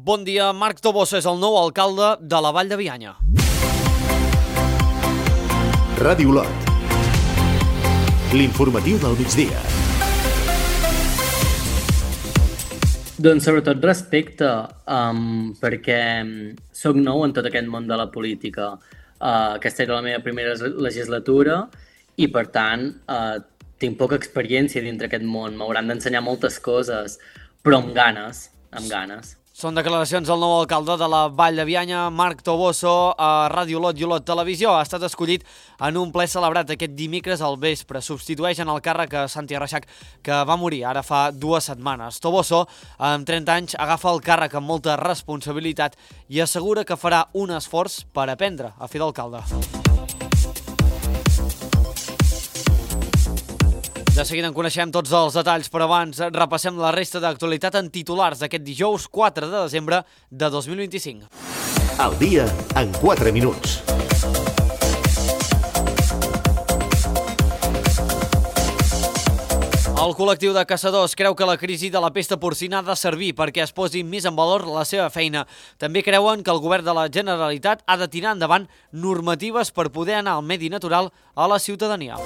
Bon dia, Marc Toboso és el nou alcalde de la Vall de Bianya. Ràdio Olot. L'informatiu del migdia. Doncs sobretot respecte, perquè soc nou en tot aquest món de la política. Aquesta era la meva primera legislatura i, per tant, tinc poca experiència dintre aquest món. M'hauran d'ensenyar moltes coses, però amb ganes. Són declaracions del nou alcalde de la Vall de Bianya, Marc Toboso, a Ràdio Olot i Olot Televisió. Ha estat escollit en un ple celebrat aquest dimecres al vespre. Substitueix en el càrrec a Santi Reixac, que va morir ara fa 2 setmanes. Toboso, amb 30 anys, agafa el càrrec amb molta responsabilitat i assegura que farà un esforç per aprendre a fer d'alcalde. De seguida en coneixem tots els detalls, però abans repassem la resta d'actualitat en titulars d'aquest dijous 4 de desembre de 2025. El dia en 4 minuts. El col·lectiu de caçadors creu que la crisi de la pesta porcina ha de servir perquè es posi més en valor la seva feina. També creuen que el govern de la Generalitat ha de tirar endavant normatives per poder anar al medi natural a la ciutadania.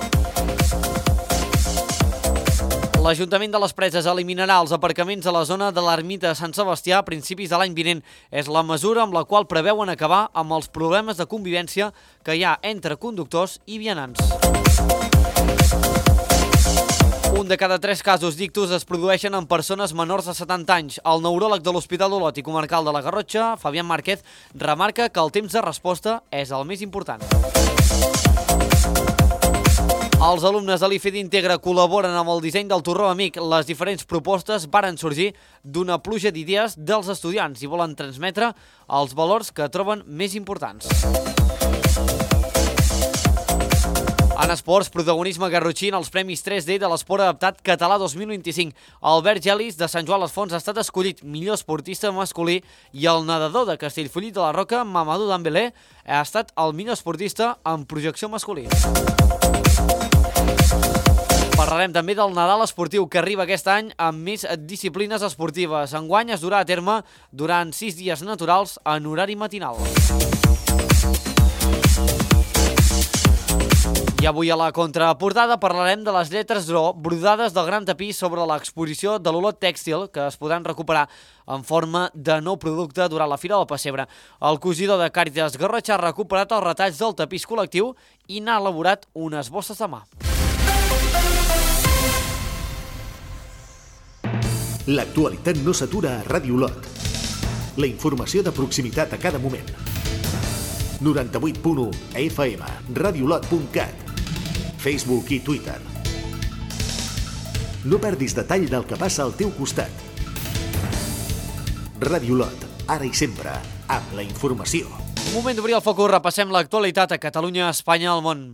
L'Ajuntament de les Preses eliminarà els aparcaments a la zona de l'ermita de Sant Sebastià a principis de l'any vinent. És la mesura amb la qual preveuen acabar amb els problemes de convivència que hi ha entre conductors i vianants. Un de cada 3 casos d'ictus es produeixen en persones menors de 70 anys. El neuròleg de l'Hospital Olot i Comarcal de la Garrotxa, Fabián Márquez, remarca que el temps de resposta és el més important. Els alumnes de l'IFED Integra col·laboren amb el disseny del Torró Amic. Les diferents propostes varen sorgir d'una pluja d'idees dels estudiants i volen transmetre els valors que troben més importants. En esports, protagonisme garrotxí en els Premis 3D de l'Esport Adaptat Català 2025. Albert Gelis, de Sant Joan les Fonts, ha estat escollit millor esportista masculí i el nedador de Castellfollit de la Roca, Mamadou Dembélé, ha estat el millor esportista en projecció masculí. Parlarem també del Nadal esportiu, que arriba aquest any amb més disciplines esportives. Enguany es durà a terme durant 6 dies naturals en horari matinal. I avui a la contraportada parlarem de les lletres d'or brodades del gran tapís sobre l'exposició de l'Olot Tèxtil, que es podran recuperar en forma de nou producte durant la Fira del Pessebre. El cosidor de Càritas Garrotxa ha recuperat els retalls del tapís col·lectiu i n'ha elaborat unes bosses de mà. L'actualitat no s'atura a Ràdio Olot. La informació de proximitat a cada moment. 98.1 FM, radioolot.cat, Facebook i Twitter. No perdis detall del que passa al teu costat. Ràdio Olot, ara i sempre, amb la informació. Moment d'obrir el focus, repassem l'actualitat a Catalunya, Espanya, al món.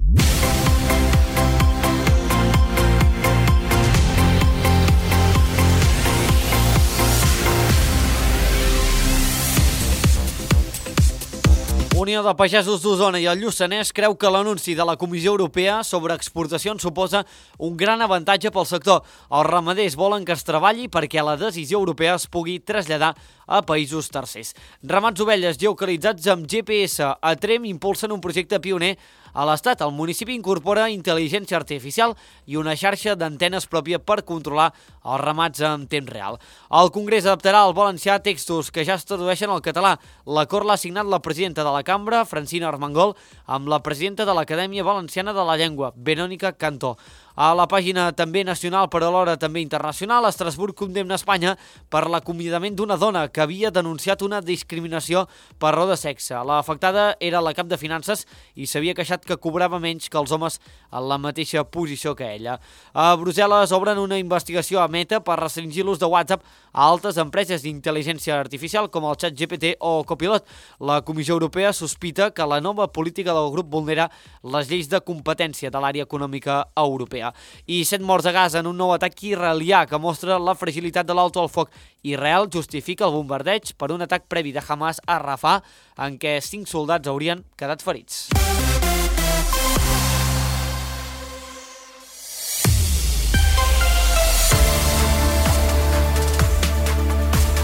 Unió de Pagesos d'Osona i el Lluçanès creu que l'anunci de la Comissió Europea sobre exportacions suposa un gran avantatge pel sector. Els ramaders volen que es treballi perquè la decisió europea es pugui traslladar a països tercers. Ramats ovelles geocalitzats amb GPS. A Tremp impulsen un projecte pioner a l'Estat. El municipi incorpora intel·ligència artificial i una xarxa d'antenes pròpia per controlar els ramats en temps real. El Congrés adaptarà al valencià textos que ja es tradueixen al català. L'acord l'ha signat la presidenta de la Cambra, Francina Armengol, amb la presidenta de l'Acadèmia Valenciana de la Llengua, Verònica Cantó. A la pàgina també nacional, però alhora també internacional, Estrasburg condemna Espanya per l'acomiadament d'una dona que havia denunciat una discriminació per raó de sexe. L'afectada era la cap de finances i s'havia queixat que cobrava menys que els homes en la mateixa posició que ella. A Brussel·les obren una investigació a Meta per restringir l'ús de WhatsApp a altres empreses d'intel·ligència artificial com el ChatGPT o Copilot. La Comissió Europea sospita que la nova política del grup vulnera les lleis de competència de l'àrea econòmica europea. I 7 morts a Gaza en un nou atac israelià que mostra la fragilitat de l'alto al foc. Israel justifica el bombardeig per un atac previ de Hamas a Rafah en què 5 soldats haurien quedat ferits.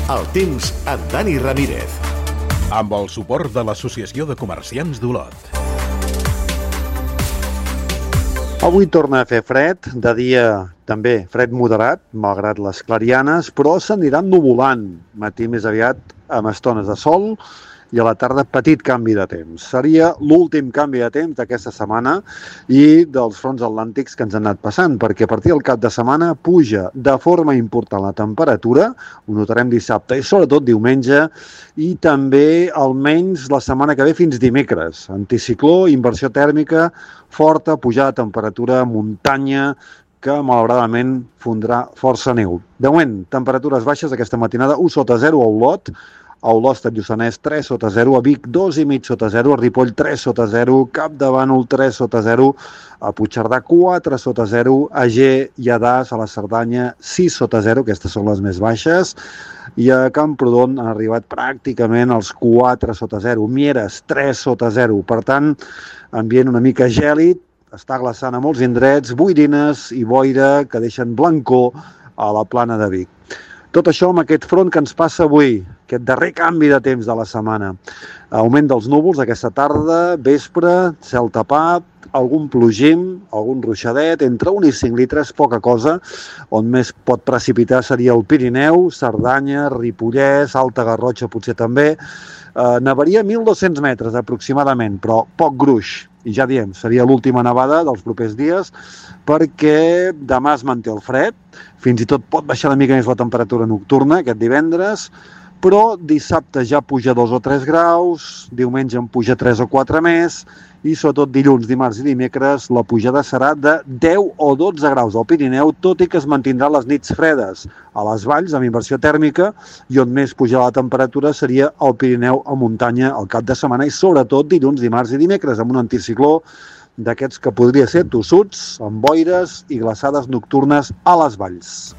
El temps amb Dani Ramírez. Amb el suport de l'Associació de Comerciants d'Olot. Avui torna a fer fred, de dia també fred moderat, malgrat les clarianes, però s'aniran nuvolant. Matí més aviat amb estones de sol i a la tarda petit canvi de temps. Seria l'últim canvi de temps d'aquesta setmana i dels fronts atlàntics que ens han anat passant, perquè a partir del cap de setmana puja de forma important la temperatura, ho notarem dissabte i sobretot diumenge, i també almenys la setmana que ve fins dimecres. Anticicló, inversió tèrmica, forta pujada de temperatura, muntanya, que malauradament fondrà força neu. De moment, temperatures baixes aquesta matinada, 1 sota 0 a Olot, a Olost, a Lluçanès, 3 sota 0, a Vic, 2,5 sota 0, a Ripoll, 3 sota 0, Capdavànol, 3 sota 0, a Puigcerdà, 4 sota 0, a Ger i a Das, a la Cerdanya, 6 sota 0, aquestes són les més baixes, i a Camprodon han arribat pràcticament als 4 sota 0, Mieres, 3 sota 0, per tant, ambient una mica gèlid, està glaçant a molts indrets, boirines i boira que deixen blancor a la plana de Vic. Tot això amb aquest front que ens passa avui, aquest darrer canvi de temps de la setmana. Augment dels núvols aquesta tarda, vespre, cel tapat, algun plogim, algun ruixadet, entre 1 i 5 litres, poca cosa. On més pot precipitar seria el Pirineu, Cerdanya, Ripollès, Alta Garrotxa potser també. Nevaria 1.200 metres aproximadament, però poc gruix. I ja diem, seria l'última nevada dels propers dies, perquè demà es manté el fred, fins i tot pot baixar una mica més la temperatura nocturna aquest divendres, però dissabte ja puja 2 o 3 graus, diumenge en puja 3 o 4 més, i sobretot dilluns, dimarts i dimecres la pujada serà de 10 o 12 graus al Pirineu, tot i que es mantindrà les nits fredes a les valls amb inversió tèrmica, i on més pujarà la temperatura seria al Pirineu a muntanya al cap de setmana, i sobretot dilluns, dimarts i dimecres amb un anticicló d'aquests que podria ser tossuts, amb boires i glaçades nocturnes a les valls.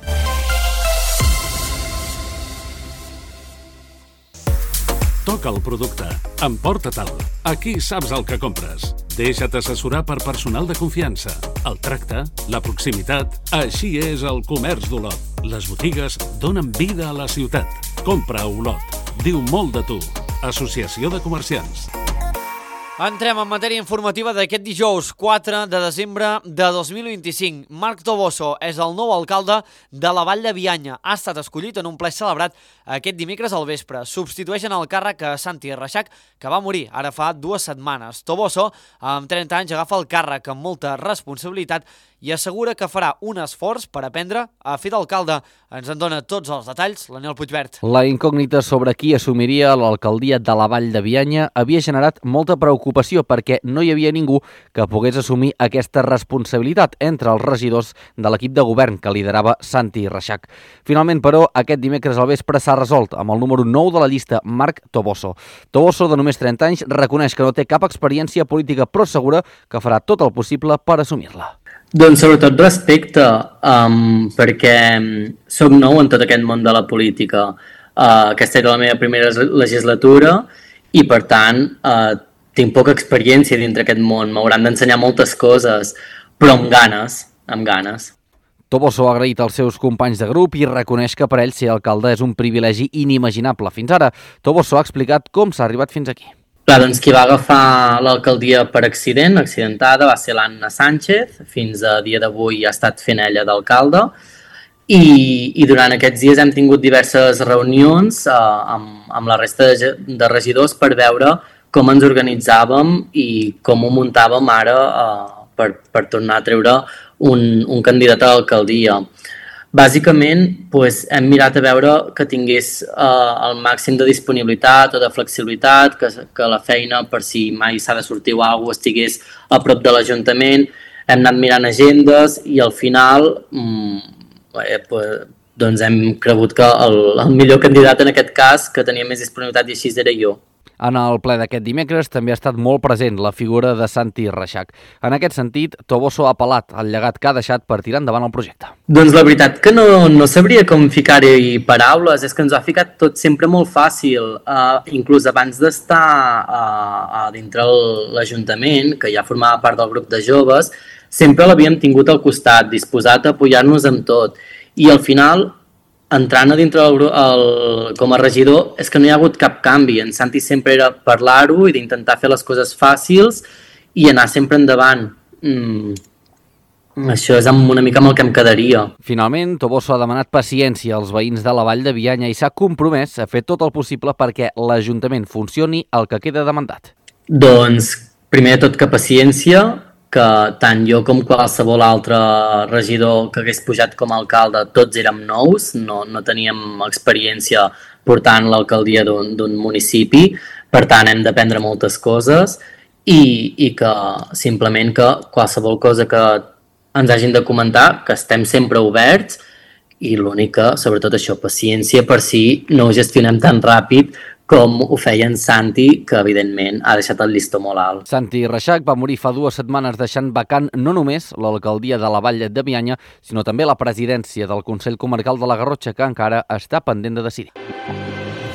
Toca el producte. Emporta-te'l. Aquí saps el que compres. Deixa't assessorar per personal de confiança. El tracte, la proximitat, així és el comerç d'Olot. Les botigues donen vida a la ciutat. Compra a Olot. Diu molt de tu. Associació de Comerciants. Entrem en matèria informativa d'aquest dijous 4 de desembre de 2025. Marc Toboso és el nou alcalde de la Vall de Bianya. Ha estat escollit en un ple celebrat aquest dimecres al vespre. Substitueixen el càrrec a Santi Reixac, que va morir ara fa 2 setmanes. Toboso, amb 30 anys, agafa el càrrec amb molta responsabilitat i assegura que farà un esforç per aprendre a fer d'alcalde. Ens en dona tots els detalls l'Aniol Puigvert. La incògnita sobre qui assumiria l'alcaldia de la Vall de Bianya havia generat molta preocupació perquè no hi havia ningú que pogués assumir aquesta responsabilitat entre els regidors de l'equip de govern que liderava Santi Reixac. Finalment, però, aquest dimecres al vespre s'ha resolt amb el número 9 de la llista, Marc Toboso. Toboso, de només 30 anys, reconeix que no té cap experiència política, però assegura que farà tot el possible per assumir-la. Doncs sobretot respecte, perquè soc nou en tot aquest món de la política. Aquesta era la meva primera legislatura i, per tant, tinc poca experiència dintre aquest món. M'hauran d'ensenyar moltes coses, però amb ganes. Toboso ha agraït als seus companys de grup i reconeix que per ell ser alcalde és un privilegi inimaginable. Fins ara, Toboso ha explicat com s'ha arribat fins aquí. Clar, doncs qui va agafar l'alcaldia per accidentada, va ser l'Anna Sánchez. Fins a dia d'avui ha estat fent ella d'alcalde. I durant aquests dies hem tingut diverses reunions amb la resta de regidors per veure com ens organitzàvem i com ho muntàvem ara per tornar a treure un candidat a l'alcaldia. Bàsicament, hem mirat a veure que tingués el màxim de disponibilitat o de flexibilitat, que la feina, per si mai s'ha de sortir o alguna cosa, estigués a prop de l'Ajuntament. Hem anat mirant agendes i al final hem cregut que el millor candidat en aquest cas, que tenia més disponibilitat i així era jo. En el ple d'aquest dimecres també ha estat molt present la figura de Santi Reixac. En aquest sentit, Toboso ha apel·lat al llegat que ha deixat per tirar endavant el projecte. Doncs la veritat que no sabria com ficar-hi paraules, és que ens ho ha ficat tot sempre molt fàcil. Inclús abans d'estar dintre l'Ajuntament, que ja formava part del grup de joves, sempre l'havíem tingut al costat, disposat a apoyar-nos amb tot. I al final entrant a dintre com a regidor, és que no hi ha hagut cap canvi. En Santi sempre era parlar-ho i d'intentar fer les coses fàcils i anar sempre endavant. Això és una mica amb el que em quedaria. Finalment, Toboso ha demanat paciència als veïns de la Vall de Bianya i s'ha compromès a fer tot el possible perquè l'Ajuntament funcioni el que queda de mandat. Doncs, primer de tot que paciència, que tant jo com qualsevol altre regidor que hagués pujat com a alcalde, tots érem nous, no teníem experiència portant l'alcaldia d'un municipi, per tant hem d'aprendre moltes coses i que simplement que qualsevol cosa que ens hagin de comentar, que estem sempre oberts i l'únic que, sobretot això, paciència per si no ho gestionem tan ràpid com ho feia en Santi, que evidentment ha deixat el llistó molt alt. Santi Reixac va morir fa 2 setmanes deixant vacant no només l'alcaldia de la Vall de Bianya, sinó també la presidència del Consell Comarcal de la Garrotxa, que encara està pendent de decidir.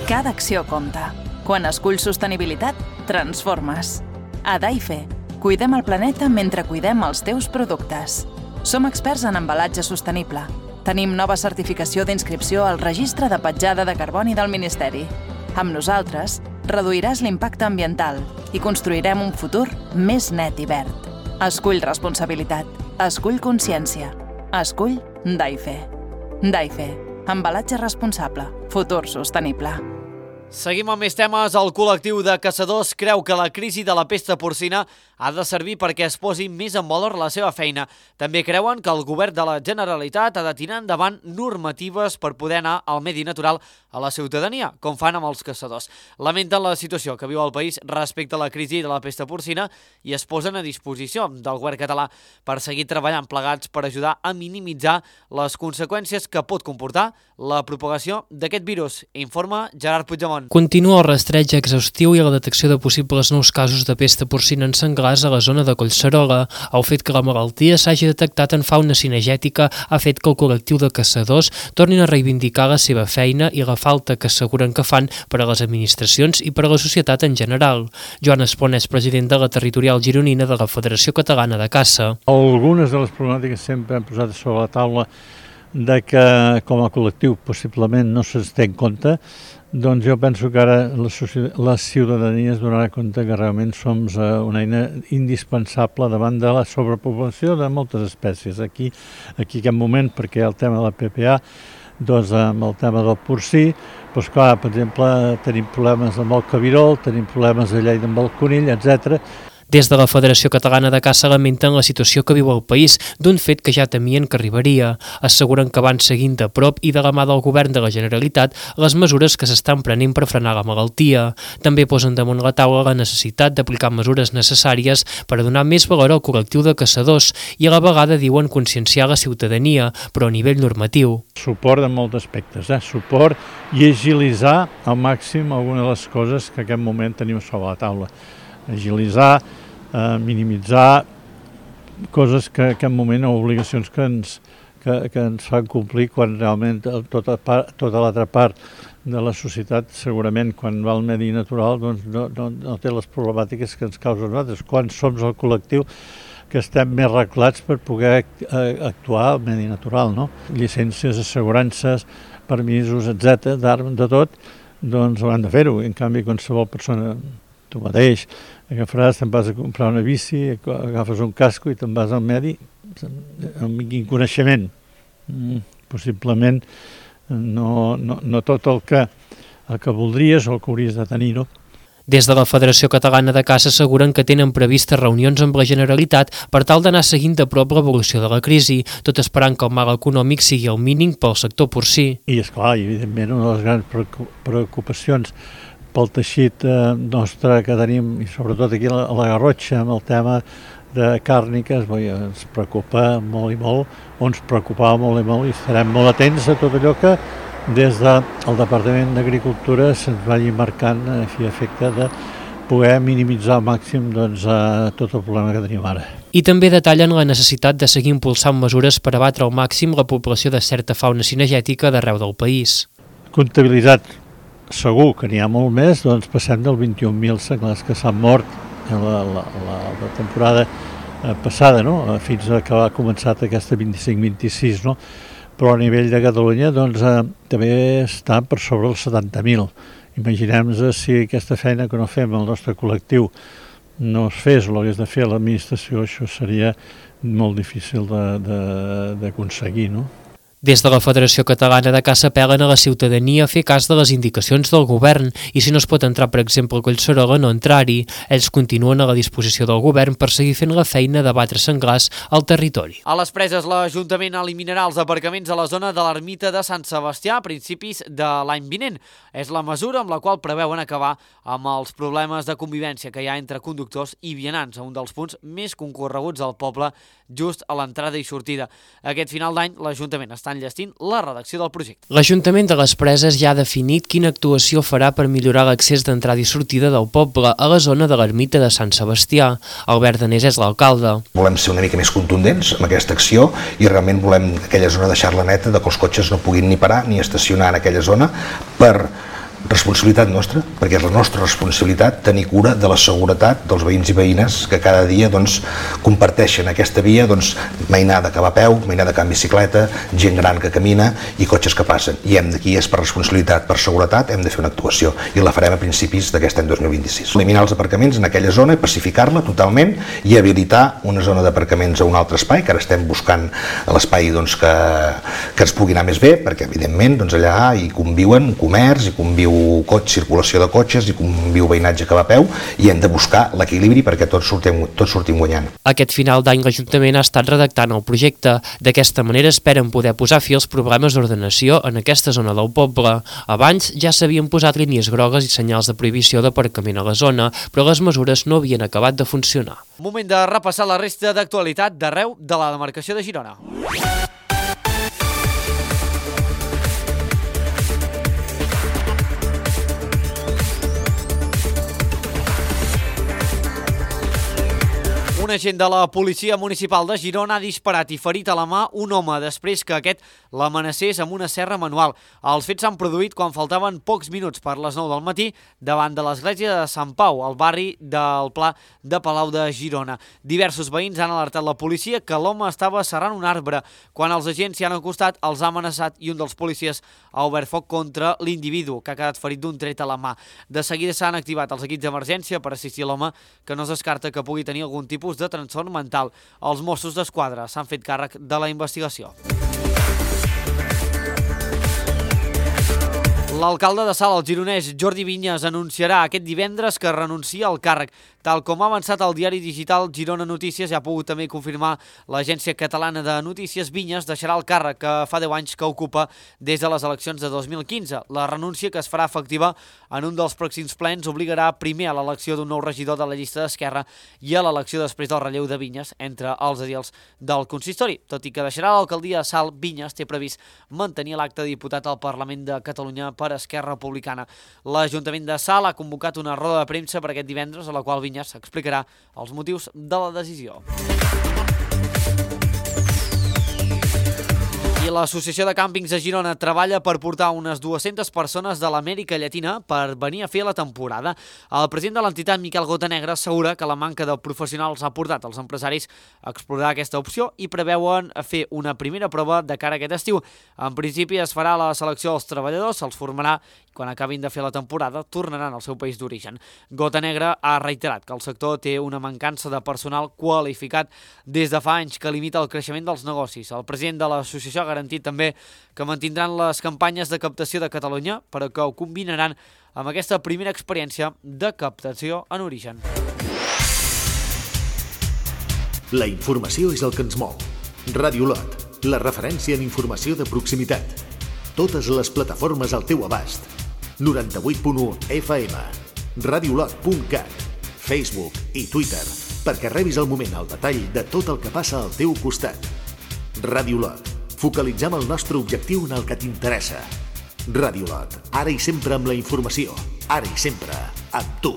Cada acció compta. Quan esculls sostenibilitat, transformes. A Daife, cuidem el planeta mentre cuidem els teus productes. Som experts en embalatge sostenible. Tenim nova certificació d'inscripció al Registre de Petjada de Carboni del Ministeri. Amb nosaltres, reduiràs l'impacte ambiental i construirem un futur més net i verd. Escull responsabilitat. Escull consciència. Escull Daife. Daife. Embalatge responsable. Futur sostenible. Seguim amb més temes. El col·lectiu de caçadors creu que la crisi de la pesta porcina ha de servir perquè es posi més en valor la seva feina. També creuen que el govern de la Generalitat ha de tirar endavant normatives per poder anar al medi natural a la ciutadania, com fan amb els caçadors. Lamenten la situació que viu el país respecte a la crisi de la pesta porcina i es posen a disposició del govern català per seguir treballant plegats per ajudar a minimitzar les conseqüències que pot comportar la propagació d'aquest virus. Informa Gerard Puigdemont. Continua el rastreig exhaustiu i la detecció de possibles nous casos de pesta porcina en senglars a la zona de Collserola. El fet que la malaltia s'hagi detectat en fauna cinegètica ha fet que el col·lectiu de caçadors tornin a reivindicar la seva feina i la falta que asseguren que fan per a les administracions i per a la societat en general. Joan Espon és president de la territorial gironina de la Federació Catalana de Caça. Algunes de les problemàtiques sempre han posat sobre la taula de que com a col·lectiu possiblement no se'ns té en compte, doncs jo penso que ara la ciutadania es donarà compte que realment som una eina indispensable davant de la sobrepoblació de moltes espècies. Aquí en aquest moment, perquè el tema de la PPA, doncs amb el tema del porcí, doncs clar, per exemple, tenim problemes amb el cabirol, tenim problemes a Lleida amb el conill, etc. Des de la Federació Catalana de Caça lamenten la situació que viu el país, d'un fet que ja temien que arribaria. Asseguren que van seguint de prop i de la mà del govern de la Generalitat les mesures que s'estan prenent per frenar la malaltia. També posen damunt la taula la necessitat d'aplicar mesures necessàries per a donar més valor al col·lectiu de caçadors i a la vegada diuen conscienciar la ciutadania, però a nivell normatiu. Suport en molts aspectes, suport i agilitzar al màxim algunes de les coses que en aquest moment tenim sobre la taula. Agilitzar, minimitzar coses que en aquest moment o obligacions que ens fan complir quan realment tota l'altra part de la societat segurament quan va al medi natural doncs no té les problemàtiques que ens causen nosaltres, quan som el col·lectiu que estem més reglats per poder actuar al medi natural, no? Llicències, assegurances, permisos, etc., d'armes, de tot, doncs hauran de fer-ho. En canvi, qualsevol persona, tu mateix, agafaràs, te'n vas a comprar una bici, agafes un casco i te'n vas al medi amb quin coneixement. Possiblement no tot el que voldries o el que hauries de tenir, no? Des de la Federació Catalana de Caça asseguren que tenen previstes reunions amb la Generalitat per tal d'anar seguint de prop l'evolució de la crisi, tot esperant que el mal econòmic sigui el mínim pel sector porcí. I esclar, evidentment, una de les grans preocupacions pel teixit nostre que tenim, i sobretot aquí a la Garrotxa, amb el tema de càrniques, ens preocupa molt i molt, o ens preocupava molt i molt, i estarem molt atents a tot allò que des del Departament d'Agricultura se'ns vagi marcant a efecte de poder minimitzar al màxim tot el problema que tenim ara. I també detallen la necessitat de seguir impulsant mesures per abatre al màxim la població de certa fauna cinegètica d'arreu del país. Comptabilitzat segur que n'hi ha molt més, doncs passem del 21.000 senglars que s'han mort en la temporada passada, no? Fins que ha començat aquesta 25-26, no? però a nivell de Catalunya doncs, també està per sobre els 70.000. Imaginem-nos si aquesta feina que no fem el nostre col·lectiu no es fes o l'hagués de fer a l'administració, això seria molt difícil d'aconseguir, no? Des de la Federació Catalana de Caça apel·len a la ciutadania a fer cas de les indicacions del govern i si no es pot entrar, per exemple, a Collserola, no entrar-hi. Ells continuen a la disposició del govern per seguir fent la feina de batre senglars al territori. A les Preses, l'Ajuntament eliminarà els aparcaments a la zona de l'ermita de Sant Sebastià a principis de l'any vinent. És la mesura amb la qual preveuen acabar amb els problemes de convivència que hi ha entre conductors i vianants a un dels punts més concorreguts del poble, just a l'entrada i sortida. Aquest final d'any, l'Ajuntament està enllestint la redacció del projecte. L'Ajuntament de les Preses ja ha definit quina actuació farà per millorar l'accés d'entrada i sortida del poble a la zona de l'ermita de Sant Sebastià. Albert Danés és l'alcalde. Volem ser una mica més contundents amb aquesta acció i realment volem aquella zona deixar-la neta, de que els cotxes no puguin ni parar ni estacionar en aquella zona per responsabilitat nostra, perquè és la nostra responsabilitat tenir cura de la seguretat dels veïns i veïnes que cada dia comparteixen aquesta via, mainada que va a peu, mainada que va en bicicleta, gent gran que camina i cotxes que passen. I d'aquí és per responsabilitat, per seguretat, hem de fer una actuació i la farem a principis d'aquest any 2026. Eliminar els aparcaments en aquella zona i pacificar-la totalment i habilitar una zona d'aparcaments a un altre espai, que ara estem buscant l'espai que ens pugui anar més bé, perquè evidentment allà hi conviuen comerç, hi conviu circulació de cotxes i conviu veïnatge que va a peu i hem de buscar l'equilibri perquè tots sortim guanyant. Aquest final d'any l'Ajuntament ha estat redactant el projecte. D'aquesta manera esperen poder posar fi als problemes d'ordenació en aquesta zona del poble. Abans ja s'havien posat línies grogues i senyals de prohibició d'aparcament a la zona, però les mesures no havien acabat de funcionar. Moment de repassar la resta d'actualitat d'arreu de la demarcació de Girona. Un agent de la Policia Municipal de Girona ha disparat i ferit a la mà un home després que aquest l'amenacés amb una serra manual. Els fets s'han produït quan faltaven pocs minuts per les 9 del matí davant de l'església de Sant Pau, al barri del Pla de Palau de Girona. Diversos veïns han alertat la policia que l'home estava serrant un arbre. Quan els agents s'hi han acostat, els ha amenaçat i un dels policies ha obert foc contra l'individu, que ha quedat ferit d'un tret a la mà. De seguida s'han activat els equips d'emergència per assistir l'home, que no es descarta que pugui tenir algun tipus de trastorn mental. Els Mossos d'Esquadra s'han fet càrrec de la investigació. L'alcalde de Salt, el gironès Jordi Vinyes, anunciarà aquest divendres que renuncia al càrrec. Tal com ha avançat el diari digital Girona Notícies, ja ha pogut també confirmar l'Agència Catalana de Notícies, Vinyes deixarà el càrrec que fa 10 anys que ocupa des de les eleccions de 2015. La renúncia, que es farà efectiva en un dels pròxims plens, obligarà primer a l'elecció d'un nou regidor de la llista d'Esquerra i a l'elecció després del relleu de Vinyes entre els edils del consistori. Tot i que deixarà l'alcaldia de Salt, Vinyes té previst mantenir l'acte de diputat al Parlament de Catalunya per Esquerra Republicana. L'Ajuntament de Salt ha convocat una roda de premsa per aquest divendres, a la qual Vinyes explicarà els motius de la decisió. I l'Associació de Càmpings de Girona treballa per portar unes 200 persones de l'Amèrica Llatina per venir a fer la temporada. El president de l'entitat, Miquel Gotanegra, assegura que la manca de professionals ha portat els empresaris a explorar aquesta opció i preveuen fer una primera prova de cara a aquest estiu. En principi es farà la selecció dels treballadors, se'ls formarà i quan acabin de fer la temporada tornaran al seu país d'origen. Gotanegra ha reiterat que el sector té una mancança de personal qualificat des de fa anys que limita el creixement dels negocis. El president de l'associació ha garantit també que mantindran les campanyes de captació de Catalunya, però que ho combinaran amb aquesta primera experiència de captació en origen. La informació és el que ens mou. Ràdio Lot, la referència en informació de proximitat. Totes les plataformes al teu abast. 98.1 FM, radiolot.cat, Facebook i Twitter, perquè rebis al moment el detall de tot el que passa al teu costat. Ràdio Lot, focalitzem el nostre objectiu en el que t'interessa. Ràdio Lot, ara i sempre amb la informació, ara i sempre amb tu.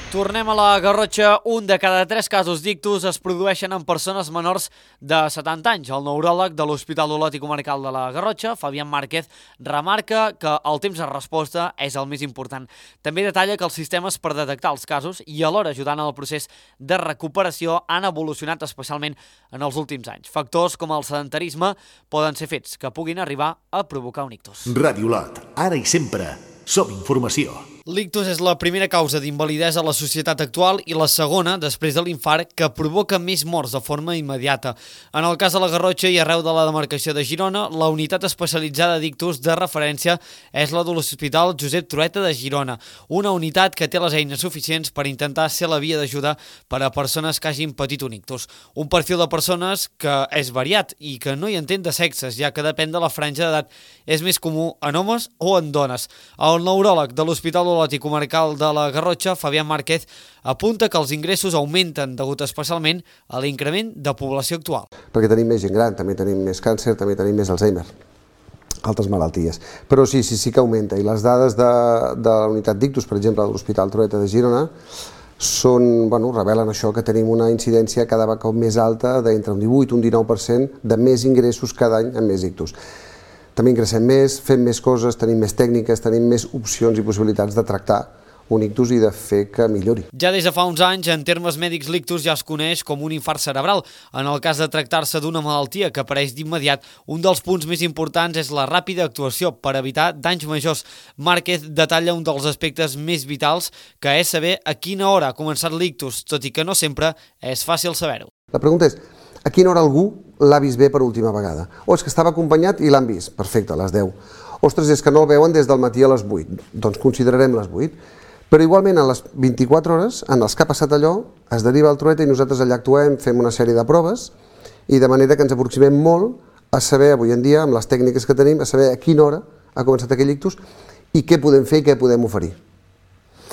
Tornem a la Garrotxa. Un de cada 3 casos d'ictus es produeixen en persones menors de 70 anys. El neuròleg de l'Hospital Olot i Comarcal de la Garrotxa, Fabián Márquez, remarca que el temps de resposta és el més important. També detalla que els sistemes per detectar els casos i alhora ajudant en el procés de recuperació han evolucionat especialment en els últims anys. Factors com el sedentarisme poden ser fets que puguin arribar a provocar un ictus. Ràdio Olot, ara i sempre, som informació. L'ictus és la primera causa d'invalidesa a la societat actual i la segona, després de l'infart, que provoca més morts de forma immediata. En el cas de la Garrotxa i arreu de la demarcació de Girona, la unitat especialitzada d'ictus de referència és la de l'Hospital Josep Trueta de Girona, una unitat que té les eines suficients per intentar ser la via d'ajuda per a persones que hagin patit un ictus. Un perfil de persones que és variat i que no hi entén de sexes, ja que depèn de la franja d'edat. És més comú en homes o en dones. El neuròleg de l'Hospital Olot i Comarcal de la Garrotxa, Fabián Márquez, apunta que els ingressos augmenten degut especialment a l'increment de població actual. Perquè tenim més gent gran, també tenim més càncer, també tenim més Alzheimer, altres malalties. Però sí que augmenta. I les dades de la unitat d'ictus, per exemple, de l'Hospital Trueta de Girona, revelen això, que tenim una incidència cada cop més alta d'entre un 18 i un 19% de més ingressos cada any amb més ictus. També ingressem més, fem més coses, tenim més tècniques, tenim més opcions i possibilitats de tractar un ictus i de fer que millori. Ja des de fa uns anys, en termes mèdics, l'ictus ja es coneix com un infart cerebral. En el cas de tractar-se d'una malaltia que apareix d'immediat, un dels punts més importants és la ràpida actuació per evitar danys majors. Márquez detalla un dels aspectes més vitals, que és saber a quina hora ha començat l'ictus, tot i que no sempre és fàcil saber-ho. La pregunta és, a quina hora algú l'ha vist bé per última vegada? O és que estava acompanyat i l'han vist? Perfecte, a les 10. Ostres, és que no el veuen des del matí a les 8. Doncs considerarem les 8. Però igualment a les 24 hores, en els que ha passat allò, es deriva al Trueta i nosaltres allà actuem, fem una sèrie de proves i de manera que ens aproximem molt a saber, avui en dia, amb les tècniques que tenim, a saber a quina hora ha començat aquell ictus i què podem fer i què podem oferir.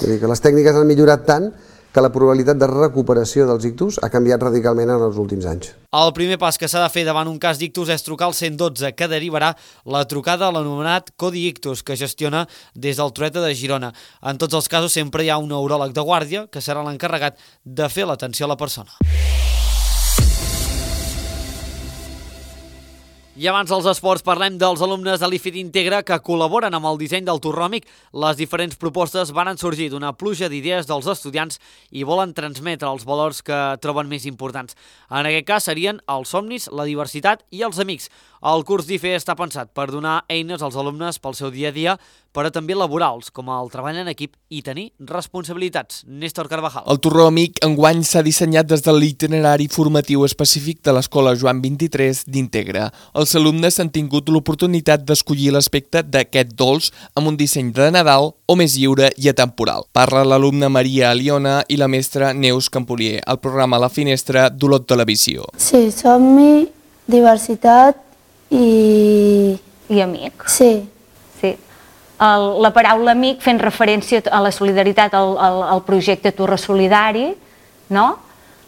Vull dir que les tècniques han millorat tant que la probabilitat de recuperació dels ictus ha canviat radicalment en els últims anys. El primer pas que s'ha de fer davant un cas d'ictus és trucar al 112, que derivarà la trucada a l'anomenat Codi Ictus, que gestiona des del Trueta de Girona. En tots els casos sempre hi ha un neuròleg de guàrdia que serà l'encarregat de fer l'atenció a la persona. I abans dels esports parlem dels alumnes de l'IFIT Integra que col·laboren amb el disseny del Torròmic. Les diferents propostes van sorgir d'una pluja d'idees dels estudiants i volen transmetre els valors que troben més importants. En aquest cas serien els somnis, la diversitat i els amics. El curs d'IFE està pensat per donar eines als alumnes pel seu dia a dia, però també laborals, com el treball en equip i tenir responsabilitats. Néstor Carvajal. El Torròmic enguany s'ha dissenyat des de l'itinerari formatiu específic de l'Escola Joan 23 d'Integra. Els alumnes han tingut l'oportunitat d'escollir l'aspecte d'aquest dolç amb un disseny de Nadal o més lliure i atemporal. Parla l'alumna Maria Aliona i la mestra Neus Campolier, al programa La Finestra d'Olot Televisió. Sí, somni, diversitat i amic. Sí. La paraula amic fent referència a la solidaritat, al projecte Torre Solidari, no?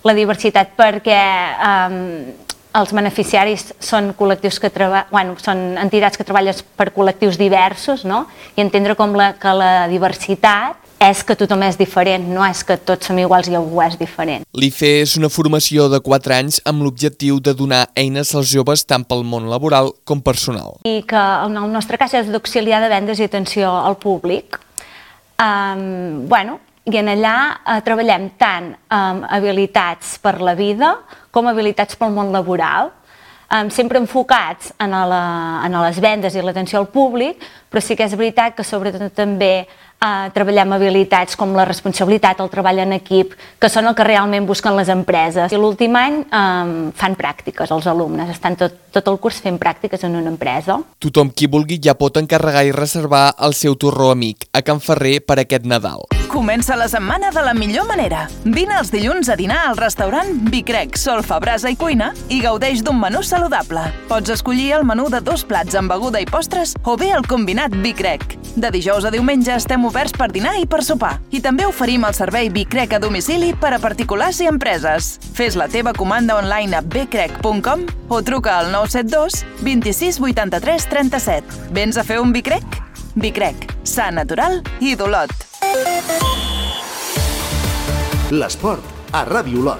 La diversitat perquè els beneficiaris són col·lectius que són entitats que treballen per col·lectius diversos, no? I entendre que la diversitat és que tothom és diferent, no és que tots som iguals i algú és diferent. L'IFE és una formació de 4 anys amb l'objectiu de donar eines als joves tant pel món laboral com personal. I que en el nostre cas és d'auxiliar de vendes i atenció al públic. I en allà treballem tant amb habilitats per la vida com habilitats pel món laboral, sempre enfocats en les vendes i l'atenció al públic, però sí que és veritat que sobretot també treballem habilitats com la responsabilitat, el treball en equip, que són el que realment busquen les empreses. I l'últim any fan pràctiques els alumnes, estan tot el curs fent pràctiques en una empresa. Tothom qui vulgui ja pot encarregar i reservar el seu torró amic a Can Ferrer per aquest Nadal. Comença la setmana de la millor manera. Vine els dilluns a dinar al restaurant Bicrec, Solfa, Brasa i Cuina i gaudeix d'un menú saludable. Pots escollir el menú de 2 plats amb beguda i postres o bé el combinat Bicrec. De dijous a diumenge estem oberts per dinar i per sopar. I també oferim el servei Bicrec a domicili per a particulars i empreses. Fes la teva comanda online a bcrec.com o truca al 972 26 83 37. Vens a fer un Bicrec? Bicrec, sa natural i d'Olot. L'esport a Ràdio Olot.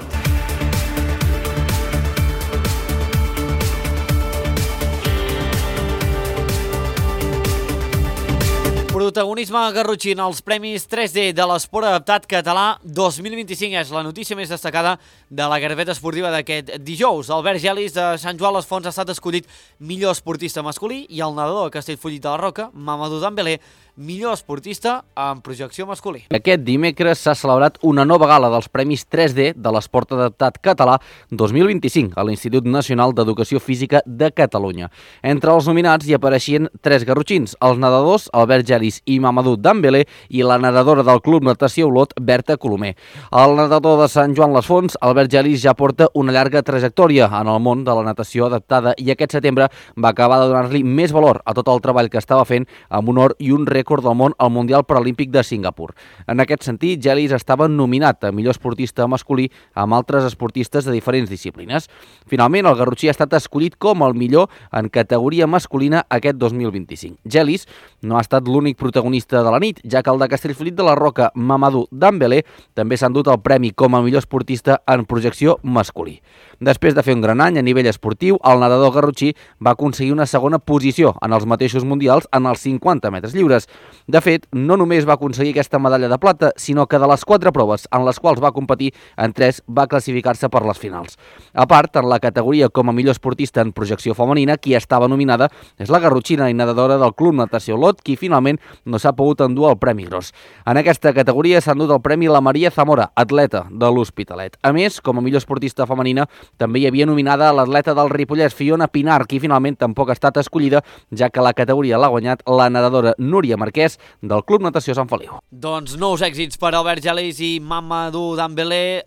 Protagonisme garrotxí en els Premis 3D de l'Esport Adaptat Català 2025 és la notícia més destacada de la garbeta esportiva d'aquest dijous. Albert Gelis de Sant Joan les Fonts ha estat escollit millor esportista masculí i el nedador de Castellfollit de la Roca, Mamadou Dembélé, millor esportista en projecció masculí. Aquest dimecres s'ha celebrat una nova gala dels Premis 3D de l'Esport Adaptat Català 2025 a l'Institut Nacional d'Educació Física de Catalunya. Entre els nominats hi apareixien 3 garrotxins, els nedadors Albert Gelis i Mamadou Dembélé i la nedadora del Club Natació Olot, Berta Colomer. El nedador de Sant Joan les Fonts, Albert Gelis, ja porta una llarga trajectòria en el món de la natació adaptada i aquest setembre va acabar de donar-li més valor a tot el treball que estava fent amb un or i un rècord del món al Mundial Paralímpic de Singapur. En aquest sentit, Gelis estava nominat a millor esportista masculí amb altres esportistes de diferents disciplines. Finalment, el garrotxí ha estat escollit com el millor en categoria masculina aquest 2025. Gelis no ha estat l'únic protagonista de la nit, ja que el de Castellfollit de la Roca, Mamadou Dembélé, també s'ha endut el premi com a millor esportista en projecció masculí. Després de fer un gran any a nivell esportiu, el nedador garrotxí va aconseguir una segona posició en els mateixos mundials en els 50 metres lliures. De fet, no només va aconseguir aquesta medalla de plata, sinó que de les 4 proves en les quals va competir, en 3 va classificar-se per les finals. A part, en la categoria com a millor esportista en projecció femenina, qui estava nominada és la garrotxina i nedadora del Club Natació Olot, qui finalment no s'ha pogut endur el Premi Gros. En aquesta categoria s'ha endut el premi la Maria Zamora, atleta de l'Hospitalet. A més, com a millor esportista femenina, també hi havia nominada l'atleta del Ripollès, Fiona Pinar, qui finalment tampoc ha estat escollida, ja que la categoria l'ha guanyat la nedadora Núria Marquès del Club Natació Sant Feliu. Doncs nous èxits per Albert Gelis i Mamadou Dembélé,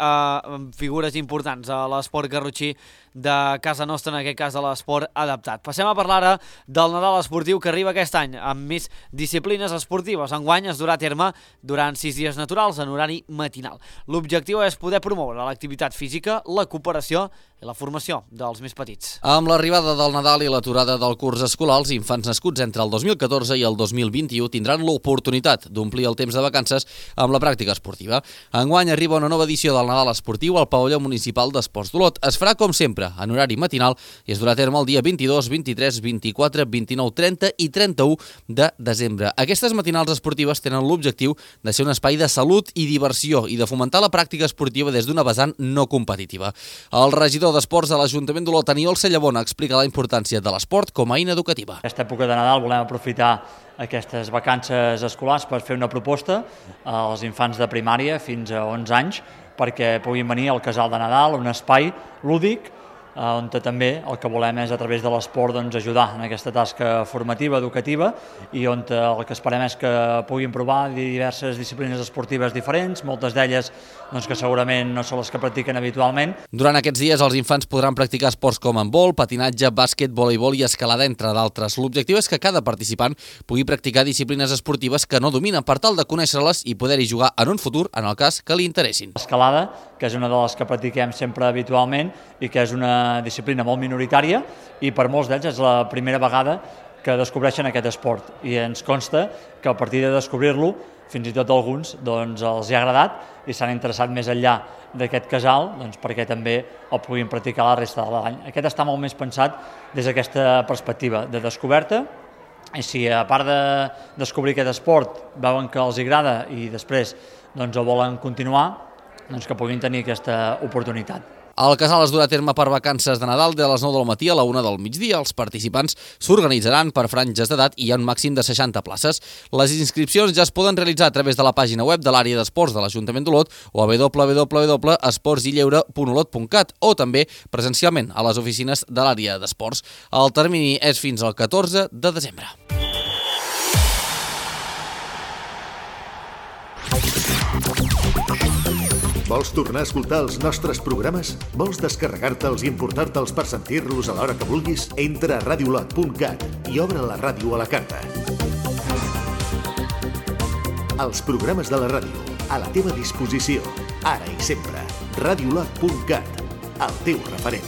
figures importants a l'esport garrotxí de casa nostra, en aquest cas de l'esport adaptat. Passem a parlar ara del Nadal esportiu que arriba aquest any, amb més disciplines esportives. Enguany es durà a terme durant 6 dies naturals en horari matinal. L'objectiu és poder promoure l'activitat física, la cooperació i la formació dels més petits. Amb l'arribada del Nadal i l'aturada del curs escolar, els infants nascuts entre el 2014 i el 2021 tindran l'oportunitat d'omplir el temps de vacances amb la pràctica esportiva. Enguany arriba una nova edició del Nadal esportiu al pavelló municipal d'Esports d'Olot. Es farà com sempre en horari matinal i es durà a terme el dia 22, 23, 24, 29, 30 i 31 de desembre. Aquestes matinals esportives tenen l'objectiu de ser un espai de salut i diversió i de fomentar la pràctica esportiva des d'una vessant no competitiva. El regidor d'Esports de l'Ajuntament d'Olot, Aniol Sellabona, explica la importància de l'esport com a eina educativa. Aquesta època de Nadal volem aprofitar aquestes vacances escolars per fer una proposta als infants de primària fins a 11 anys perquè puguin venir al Casal de Nadal, un espai lúdic on també el que volem és a través de l'esport ajudar en aquesta tasca formativa, educativa i on el que esperem és que puguin provar diverses disciplines esportives diferents, moltes d'elles que segurament no són les que practiquen habitualment. Durant aquests dies els infants podran practicar esports com handbol, patinatge, bàsquet, voleibol i escalada, entre d'altres. L'objectiu és que cada participant pugui practicar disciplines esportives que no dominen per tal de conèixer-les i poder-hi jugar en un futur en el cas que li interessin. L'escalada, que és una de les que practiquem sempre habitualment i que és una disciplina molt minoritària i per molts d'ells és la primera vegada que descobreixen aquest esport i ens consta que a partir de descobrir-lo fins i tot alguns els hi ha agradat i s'han interessat més enllà d'aquest casal perquè també el puguin practicar la resta de l'any. Aquest està molt més pensat des d'aquesta perspectiva de descoberta i si a part de descobrir aquest esport veuen que els agrada i després el volen continuar, que puguin tenir aquesta oportunitat. El casal es durà a terme per vacances de Nadal de les 9 del matí a la 1 del migdia. Els participants s'organitzaran per franges d'edat i hi ha un màxim de 60 places. Les inscripcions ja es poden realitzar a través de la pàgina web de l'àrea d'esports de l'Ajuntament d'Olot o a www.esportsilleure.olot.cat o també presencialment a les oficines de l'àrea d'esports. El termini és fins al 14 de desembre. Vols tornar a escoltar els nostres programes? Vols descarregar-te'ls i importar-te'ls per sentir-los a l'hora que vulguis? Entra a radiolot.cat i obre la ràdio a la carta. Els programes de la ràdio, a la teva disposició, ara i sempre. radiolot.cat, el teu referent.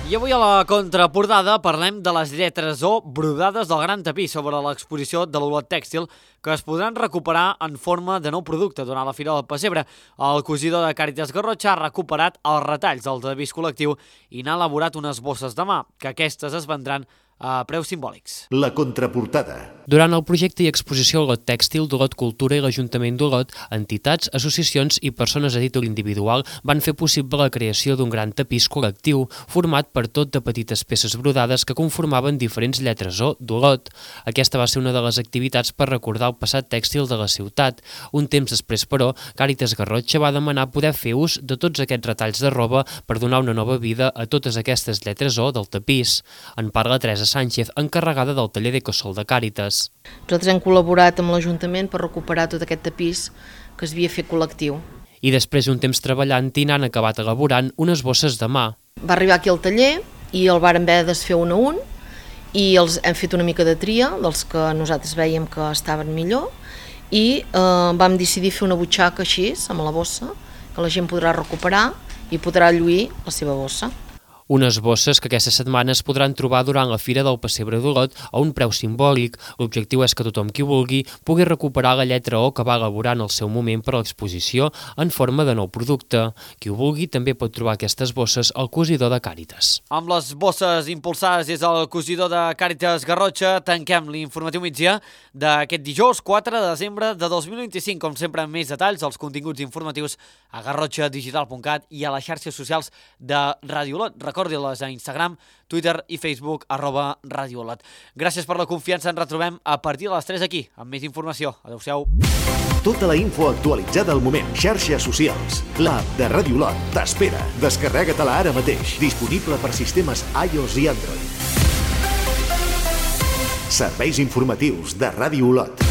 I I avui a la contraportada parlem de les lletres O brodades del gran tapís sobre l'exposició de l'Olot Tèxtil que es podran recuperar en forma de nou producte durant la Fira del Pessebre. El cosidor de Càritas Garrotxa ha recuperat els retalls del tapís col·lectiu i n'ha elaborat unes bosses de mà, que aquestes es vendran a preus simbòlics. La contraportada. Durant el projecte i exposició Olot Tèxtil d'Olot Cultura i l'Ajuntament d'Olot, entitats, associacions i persones a títol individual van fer possible la creació d'un gran tapís col·lectiu format per tot de petites peces brodades que conformaven diferents lletres O d'Olot. Aquesta va ser una de les activitats per recordar el passat tèxtil de la ciutat. Un temps després, però, Càritas Garrotxa va demanar poder fer ús de tots aquests retalls de roba per donar una nova vida a totes aquestes lletres O del tapís. En parla Teresa Sánchez, encarregada del taller d'Ecosol de Càritas. Nosaltres hem col·laborat amb l'Ajuntament per recuperar tot aquest tapís que es havia fet col·lectiu. I després d'un temps treballant-hi n'han acabat elaborant unes bosses de mà. Va arribar aquí al taller i el vàrem haver de desfer un a un i els hem fet una mica de tria dels que nosaltres veiem que estaven millor i vam decidir fer una butxaca així, amb la bossa, que la gent podrà recuperar i podrà lluir la seva bossa. Unes bosses que aquesta setmana es podran trobar durant la Fira del Pessebre d'Olot a un preu simbòlic. L'objectiu és que tothom qui vulgui pugui recuperar la lletra O que va elaborar en el seu moment per a l'exposició en forma de nou producte. Qui ho vulgui també pot trobar aquestes bosses al cosidor de Càritas. Amb les bosses impulsades des del cosidor de Càritas Garrotxa tanquem l'informatiu migdia d'aquest dijous 4 de desembre de 2025. Com sempre, amb més detalls als continguts informatius a garrotxadigital.cat i a les xarxes socials de Ràdio Olot. Recordi-les a Instagram, Twitter i Facebook @Radio Olot. Gràcies per la confiança, ens retrobem a partir de les 3 aquí, amb més informació. Adéu-siau. Tota la info actualitzada al moment. Xarxes socials. L'app de Ràdio Olot t'espera. Descarrega-te-la ara mateix. Disponible per sistemes iOS i Android. Serveis informatius de Ràdio Olot.